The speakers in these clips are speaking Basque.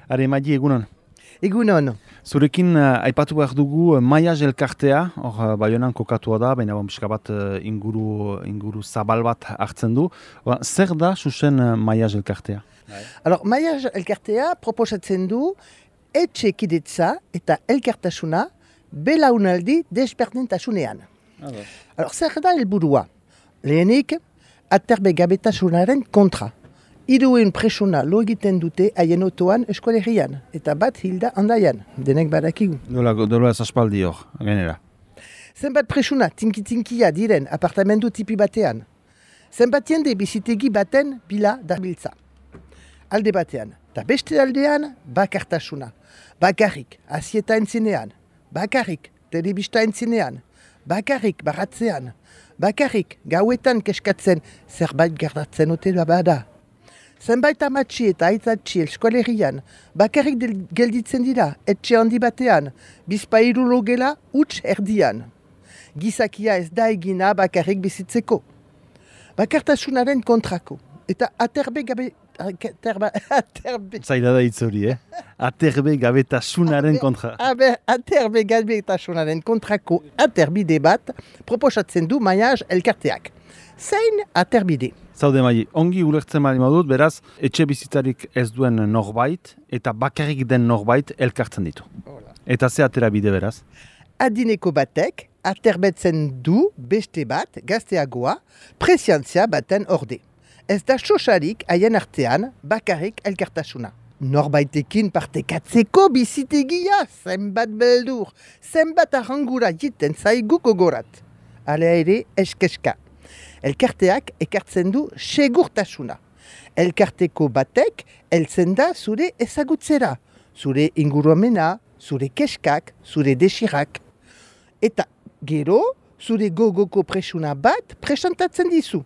Are, Maili, egunon. Egunon. Zurekin aipatu behar dugu Maiaz elkartea, hor Baionan kokatua da, baina pixka bat inguru zabal bat hartzen du. Zer da zuzen Maiaz elkartea? Alors, Maiaz elkartea proposatzen du etxekidetza eta elkartasuna belaunaldi desberdintasunean. Alors, zer da helburua? Lehenik, aterbegabetasunaren kontra. 300 presuna lo egiten dute haien otoan eskolerian, eta bat hilda handaian, denek badakigu. Dola ez aspaldi hor, genera. Zenbat presuna tinki-tinkia diren apartamendu tipi batean. Zenbat jende bizitegi baten bila dabiltza. Alde batean, eta beste aldean bakartasuna. Bakarrik azieta entzinean, bakarrik telebista entzinean, bakarrik baratzean, bakarrik gauetan keskatzen zerbait gertatzen ote bada. Zenbait amatxi eta aitzatxi eskolerian, bakarrik gelditzen dira, etxe handi batean, bizpairu logela huts erdian. Gizakia ez da egina bakarrik bizitzeko. Bakartasunaren kontrako. Eta Zaila da hitz hori, aterbegabetasunaren kontra. Aterbegabetasunaren kontrako aterbide bat proposatzen du Maiaz elkarteak. Zein aterbide? Zaude Maili, ongi ulertzen bali modut, beraz, etxe bizitzarik ez duen norbait eta bakarrik den norbait elkartzen ditu. Eta ze atera bide beraz? Adineko batek aterbetzen du beste bat gazteagoa presiantzia baten orde. Ez da sosarik haien artean bakarrik elkartasuna. Norbaitekin partekatzeko bizitegia, zenbat beldur, zenbat arrangura jiten zaiguko gorat. Hala ere eskeska. Elkarteak ekartzen du segurtasuna. Elkarteko batek heltzen da zure ezagutzera, zure inguruamena, zure keskak, zure desirak. Eta gero, zure gogoko presuna bat presentatzen dizu.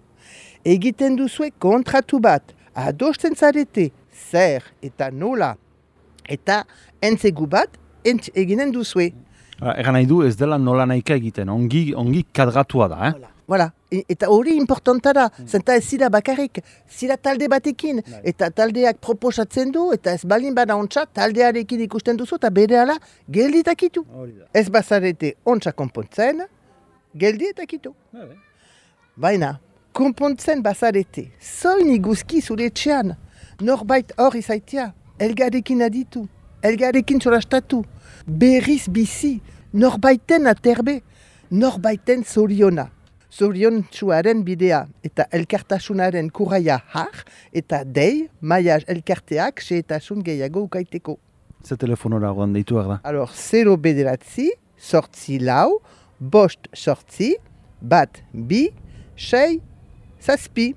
Egiten duzue kontratu bat, adosten zarete, zer eta nola. Eta entzegu bat eginen duzue. Egan nahi du ez dela nola nahika egiten, ongi kadratua da, Voilà. Eta hori importanta da, zenta ez zira bakarrik, zira talde batekin, eta taldeak proposatzen du, eta ez balin bada ontsa, taldearekin ikusten duzu, eta bere ala, geldi eta kitu. Ez bazarete ontsa konpontzen, geldi eta kitu. Baina, konpontzen bazarete, zoin iguzki zure etxean, norbait hor izaitia, elgarekin aditu, elgarekin zorastatu, berriz bizi, norbaiten aterbe, norbaiten zoriona. Zorion txuaren bidea eta elkartasunaren kurraia har eta dei Maiaz elkarteak xehetasun gehiago ukaiteko. Ze telefonora goan deitu da? Alors, 0 bederatzi, sortzi lau, bost sortzi, bat bi, sei, zazpi.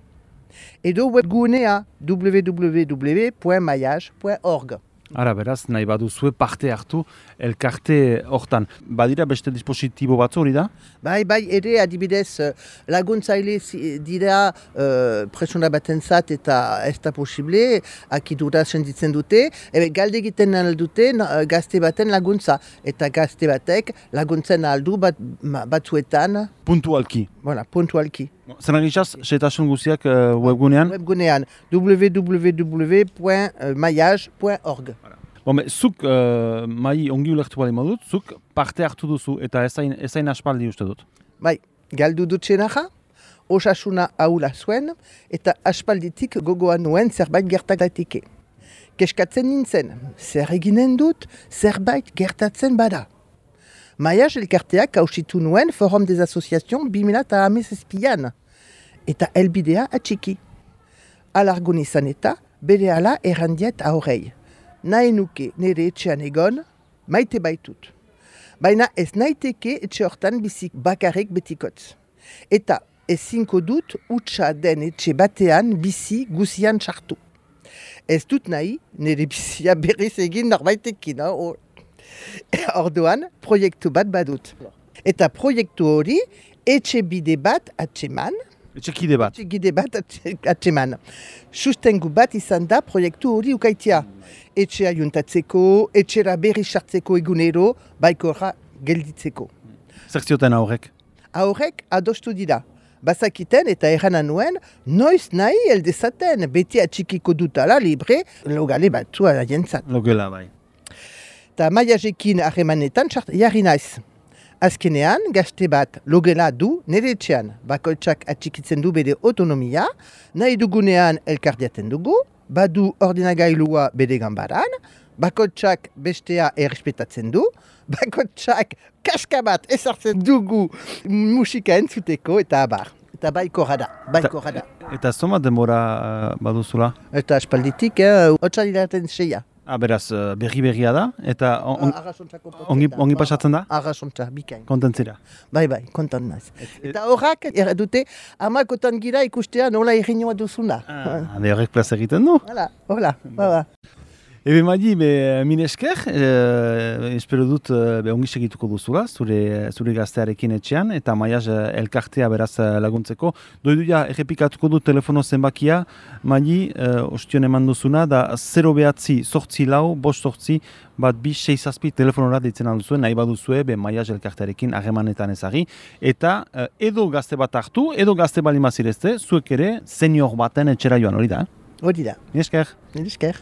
Edo webgunea www.maiaz.org. Ara, beraz, nahi baduzue parte hartu elkarte hortan. Badira beste dispositibo batzu hori da? Bai, ere adibidez laguntzaile dira presuna batentzat eta ez da posible, akidura senditzen dute, galde egiten aldute gazte baten laguntza, eta gazte batek laguntzen aldu batzuetan. Puntualki. Voilà, puntualki. Zer nagizaz, xetasun guziak webgunean? Webgunean, www.maiaz.org. Zuk, Maili, ongi ulertu bali modut, zuk parte hartu duzu eta ezain aspaldi uste dut. Bai, galdu dut txenaja, osasuna haula zuen, eta aspalditik gogoan nuen zerbait gertatike. Keskatzen nintzen, zer eginen dut, zerbait gertatzen bada. Maiaz elkarteak hausitu nuen Forum des Associations 2017an, eta elbidea atxiki. Alargun izan eta bere ala errandiet aurrei. Nahi nuke nire etxean egon, maite baitut. Baina ez naiteke etxe hortan bizik bakarrik betikotz. Eta ezinko dut utxa den etxe batean bizi guzian txartu. Ez dut nahi nire bizia berriz egin norbaitekin. Orduan, proiektu bat badut. Eta proiektu hori, etxe bide bat atxeman. Etxekide bat. Etxekide bat atxeman. Sustengu bat izan da proiektu hori ukaitia. Etxea juntatzeko, etxera berri sartzeko egunero, baikorra gelditzeko. Zer zioten aurrek? Aurrek adostu dira. bazakiten eta errana nuen, noiz nahi eldezaten, beti atxikiko dutala libre, logale batzua jentzat. Logela, bai. Eta maiazekin harremanetan jarri naiz. Azkenean, gazte bat logela du nire etxean. Bakoitzak atxikitzen du bere autonomia, nahi dugunean elkardiaten dugu, badu ordenagailua bere ganbaran, bakoitzak bestea errespetatzen du, bakoitzak kaska bat ezartzen dugu musika entzuteko eta abar. Eta baiko rada. Eta zoma denbora baduzula? Eta espalditik, otxalilaten seia. Beraz, berri-berria da, eta ongi pasatzen da? Arrasontza, bikain. Kontentzira? Bai, kontent naiz. Eta horrak, dute, amakotan gira ikustea nola errinua duzuna. Horrek plaz egiten du? Hola. Ebe Madi, min esker, espero dut ongi segituko duzula, zure gaztearekin etxean, eta Maiaz elkartea beraz laguntzeko. Doiduia, errepikatuko dut telefono zenbakia, Madi, ostion eman duzuna, da 0 bat 2 telefonora deitzen alduzuen, nahi baduzue, Maiaz elkartearekin harremanetan ezagri, eta edo gazte bat hartu, edo gazte balimazirezte, zuek ere senior baten etxera joan, hori da? Hori da. Min esker.